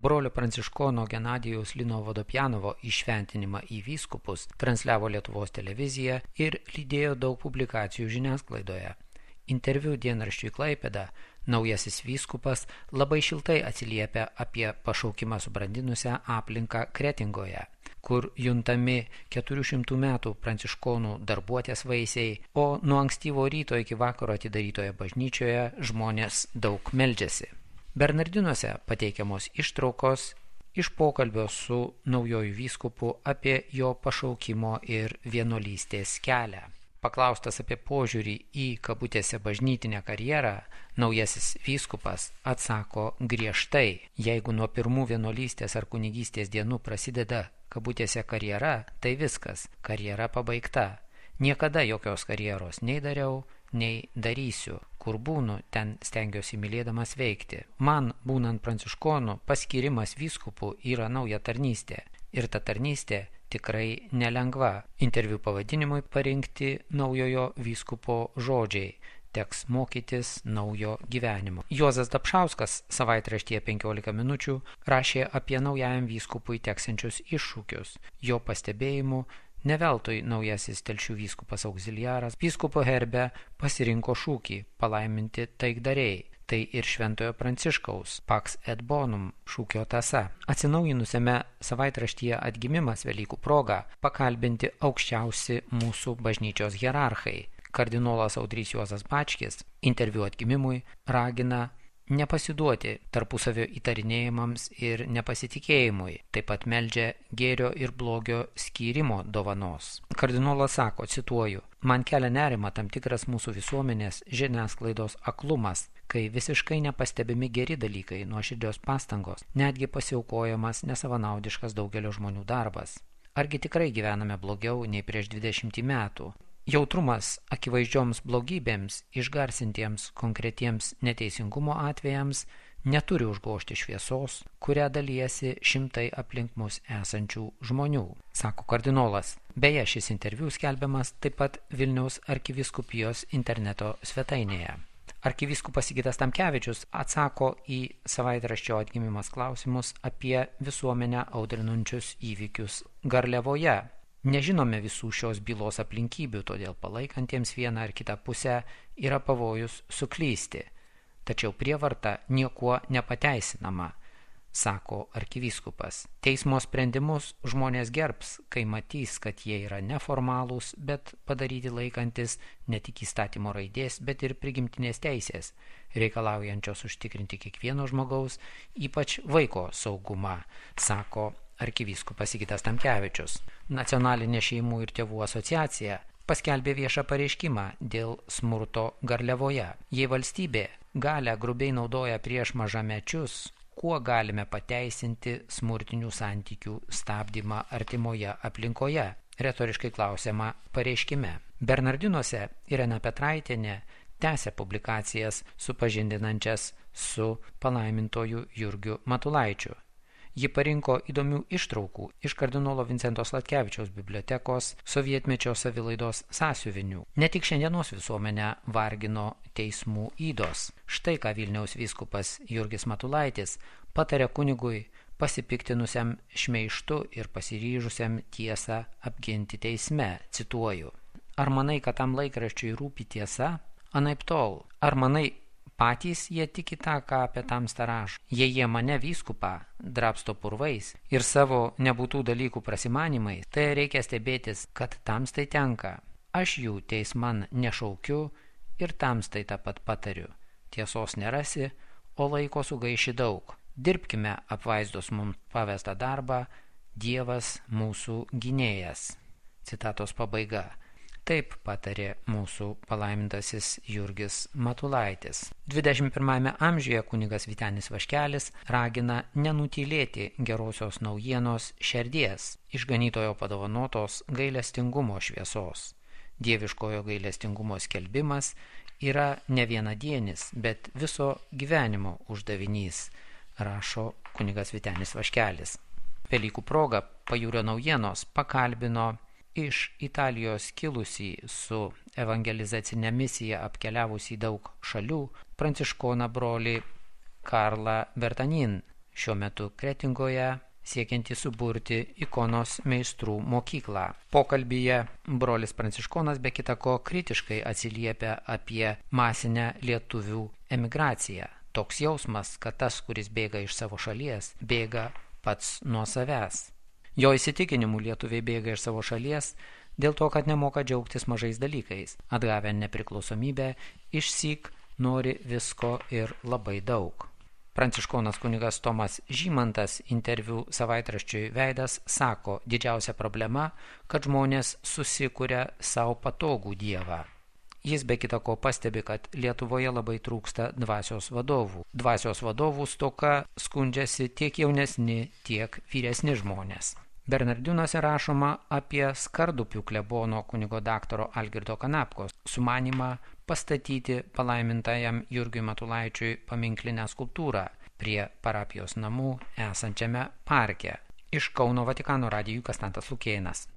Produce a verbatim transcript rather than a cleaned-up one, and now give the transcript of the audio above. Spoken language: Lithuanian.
Brolio pranciškono Genadijaus Lino Vodopjanovo įšventinimą į vyskupus transliavo Lietuvos televizija ir lydėjo daug publikacijų žiniasklaidoje. Interviu dienraščiui Klaipėda naujasis vyskupas labai šiltai atsiliepia apie pašaukimą subrandinusią aplinką Kretingoje, kur juntami keturių šimtų metų pranciškonų darbuotės vaisiai, o nuo ankstyvo ryto iki vakaro atidarytoje bažnyčioje žmonės daug meldžiasi. Bernardinuose pateikiamos ištraukos iš pokalbio su naujoju vyskupu apie jo pašaukimo ir vienuolystės kelią. Paklaustas apie požiūrį į kabutėse bažnytinę karjerą, naujasis vyskupas atsako griežtai: jeigu nuo pirmų vienuolystės ar kunigystės dienų prasideda kabutėse karjera, tai viskas, karjera pabaigta. Niekada jokios karjeros nei dariau, nei darysiu. Kur būnu, ten stengiuosi mylėdamas veikti. Man, būnant pranciškonu, paskirimas vyskupu yra nauja tarnystė. Ir ta tarnystė tikrai nelengva. Interviu pavadinimui parinkti naujojo vyskupo žodžiai: teks mokytis naujo gyvenimo. Juozas Dapšauskas savaitraštyje penkiolika minučių rašė apie naujajam vyskupui teksančius iššūkius. Jo pastebėjimu, ne veltui naujasis Telšių vyskupas auxiliaras vyskupo herbe pasirinko šūkį palaiminti taikdariai. Tai ir Šventojo Pranciškaus Pax et Bonum šūkio tąsa. Atsinaujinusiame savaitraštyje Atgimimas Velykų proga pakalbinti aukščiausi mūsų bažnyčios hierarchai. Kardinolas Audrys Juozas Bačkis interviu Atgimimui ragina nepasiduoti tarpusavio įtarinėjimams ir nepasitikėjimui, taip pat meldžia gėrio ir blogio skyrimo dovanos. Kardinolas sako, cituoju: man kelia nerima tam tikras mūsų visuomenės žiniasklaidos aklumas, kai visiškai nepastebimi geri dalykai, nuoširdios pastangos, netgi pasiaukojamas nesavanaudiškas daugelio žmonių darbas. Argi tikrai gyvename blogiau nei prieš dvidešimtį metų? Jautrumas akivaizdžioms blogybėms, išgarsintiems konkretiems neteisingumo atvejams neturi užgožti šviesos, kurią dalijasi šimtai aplink mus esančių žmonių, sako kardinolas. Beje, šis interviu skelbiamas taip pat Vilniaus arkivyskupijos interneto svetainėje. Arkivyskupas Sigitas Tamkevičius atsako į savaitraščio Atgimimas klausimus apie visuomenę audrinančius įvykius Garliavoje. Nežinome visų šios bylos aplinkybių, todėl palaikantiems vieną ar kitą pusę yra pavojus suklysti. Tačiau prievarta niekuo nepateisinama, sako arkivyskupas. Teismo sprendimus žmonės gerbs, kai matys, kad jie yra neformalūs, bet padaryti laikantis ne tik įstatymo raidės, bet ir prigimtinės teisės, reikalaujančios užtikrinti kiekvieno žmogaus, ypač vaiko saugumą, sako arkivyskupas Sigitas Tamkevičius. Nacionalinė šeimų ir tėvų asociacija paskelbė viešą pareiškimą dėl smurto Garliavoje. Jei valstybė galią grubiai naudoja prieš mažamečius, kuo galime pateisinti smurtinių santykių stabdymą artimoje aplinkoje? Retoriškai klausiama pareiškime. Bernardinuose Irena Petraitienė tęsia publikacijas supažindinančias su palaimintoju Jurgiu Matulaičiu. Ji parinko įdomių ištraukų iš kardinolo Vincento Sladkevičiaus bibliotekos sovietmečio savilaidos sąsiuvinių. Ne tik šiandienos visuomenę vargino teismų ydos. Štai ką Vilniaus vyskupas Jurgis Matulaitis patarė kunigui pasipiktinusiam šmeižtu ir pasiryžusiam tiesą apginti teisme. Cituoju: ar manai, kad tam laikraščiui rūpi tiesa? Anaiptol. Ar manai, patys jie tiki tą, ką apie tamstą rašo? Jei jie mane vyskupą drabsto purvais ir savo nebūtų dalykų prasimanimais, tai reikia stebėtis, kad tamstai tenka. Aš jų teisman nešaukiu ir tamstai tą pat patariu. Tiesos nerasi, o laiko sugaiši daug. Dirbkime apvaizdos mums pavestą darbą, Dievas mūsų gynėjas. Citatos pabaiga. Taip patarė mūsų palaimintasis Jurgis Matulaitis. dvidešimt pirmajame amžiuje kunigas Vytenis Vaškelis ragina nenutylėti gerosios naujienos šerdies, išganytojo padovanotos gailestingumo šviesos. Dieviškojo gailestingumo skelbimas yra ne vienadienis, bet viso gyvenimo uždavinys, rašo kunigas Vytenis Vaškelis. Velykų proga Pajūrio naujienos pakalbino iš Italijos kilusį su evangelizacinė misija apkeliavusį daug šalių pranciškoną brolį Karlą Bertanin. šiuo metu Kretingoje siekianti suburti ikonos meistrų mokyklą. Pokalbyje brolis Pranciškonas be kita ko kritiškai atsiliepia apie masinę lietuvių emigraciją. Toks jausmas, kad tas, kuris bėga iš savo šalies, bėga pats nuo savęs. Jo įsitikinimu lietuviai bėga iš savo šalies dėl to, kad nemoka džiaugtis mažais dalykais. Atgavę nepriklausomybę, išsyk nori visko ir labai daug. Pranciškonas kunigas Tomas Žymantas interviu savaitraščiui Veidas sako, didžiausia problema, kad žmonės susikuria savo patogų dievą. Jis be kita ko pastebi, kad Lietuvoje labai trūksta dvasios vadovų. Dvasios vadovų stoka skundžiasi tiek jaunesni, tiek vyresni žmonės. Bernardinuose rašoma apie Skardupių klebono kunigo daktaro Algirdo Kanapkos sumanymą pastatyti palaimintajam Jurgiui Matulaičiui paminklinę skulptūrą prie parapijos namų esančiame parke. Iš Kauno Vatikano radijui Konstantas Lukėnas.